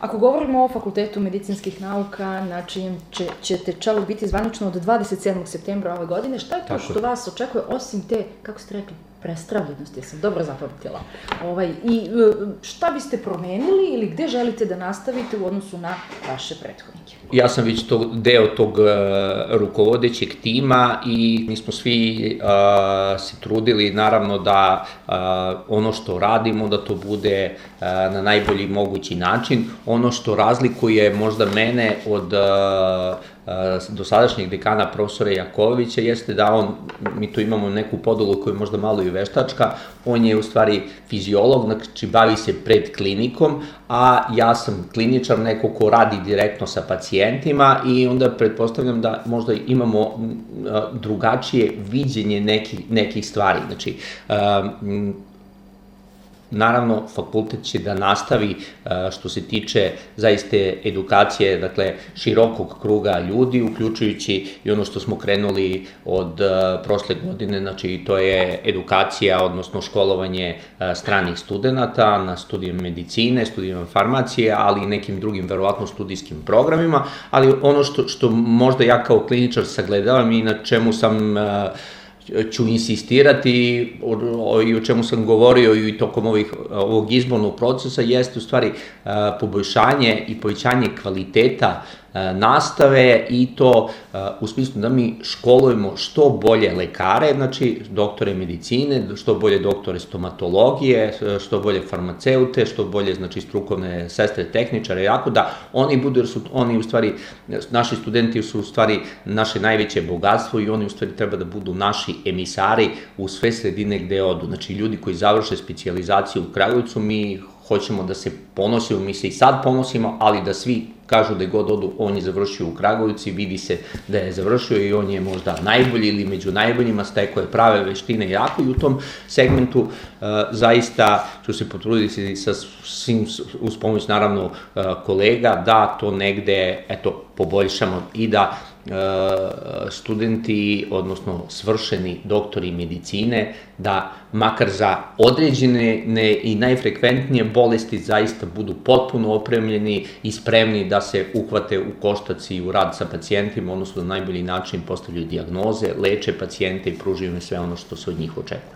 Ako govorimo o Fakultetu medicinskih nauka, na čijem ćete čelu biti zvanično od 27. septembra ove godine, šta je to što vas očekuje osim te, kako ste rekli, prestravljenosti, ja sam dobro zapamtila, i šta biste promenili ili gde želite da nastavite u odnosu na vaše prethodnike? Ja sam već deo tog rukovodećeg tima i mi smo svi se trudili naravno da ono što radimo da to bude na najbolji mogući način. Ono što razlikuje možda mene od dosadašnjeg dekana profesora Jakovića jeste da mi tu imamo neku podelu koja je možda malo i veštačka, on je u stvari fiziolog, znači bavi se predklinikom, a ja sam kliničar, neko ko radi direktno sa pacijentima i onda pretpostavljam da možda imamo drugačije viđenje nekih stvari. Znači, naravno, fakultet će da nastavi što se tiče zaista edukacije, dakle, širokog kruga ljudi, uključujući i ono što smo krenuli od prošle godine, znači to je edukacija, odnosno školovanje stranih studenta na studijama medicine, studijama farmacije, ali i nekim drugim, verovatno, studijskim programima, ali ono što možda ja kao kliničar sagledavam i na čemu ću insistirati i o čemu sam govorio i tokom ovog izbornog procesa jeste u stvari poboljšanje i povećanje kvaliteta nastave i to u smislu da mi školujemo što bolje lekare, znači doktore medicine, što bolje doktore stomatologije, što bolje farmaceute, što bolje znači strukovne sestre, tehničare, jako da oni budu, jer su oni u stvari, naši studenti su u stvari naše najveće bogatstvo i oni u stvari treba da budu naši emisari u sve sredine gde odu. Znači ljudi koji završe specijalizaciju u Kragujevcu, mi hoćemo da se ponosimo, mi se i sad ponosimo, ali da svi kažu da god odu, on je završio u Kragujevcu i vidi se da je završio i on je možda najbolji ili među najboljima, stekao je prave veštine jako i u tom segmentu zaista ću se potruditi sa svim, uz pomoć naravno kolega, da to negde, poboljšamo i da studenti, odnosno svršeni doktori medicine, da makar za određene i najfrekventnije bolesti zaista budu potpuno opremljeni i spremni da se uhvate u koštac i u rad sa pacijentima, odnosno na najbolji način postavljaju dijagnoze, leče pacijente i pružaju im sve ono što se od njih očekuje.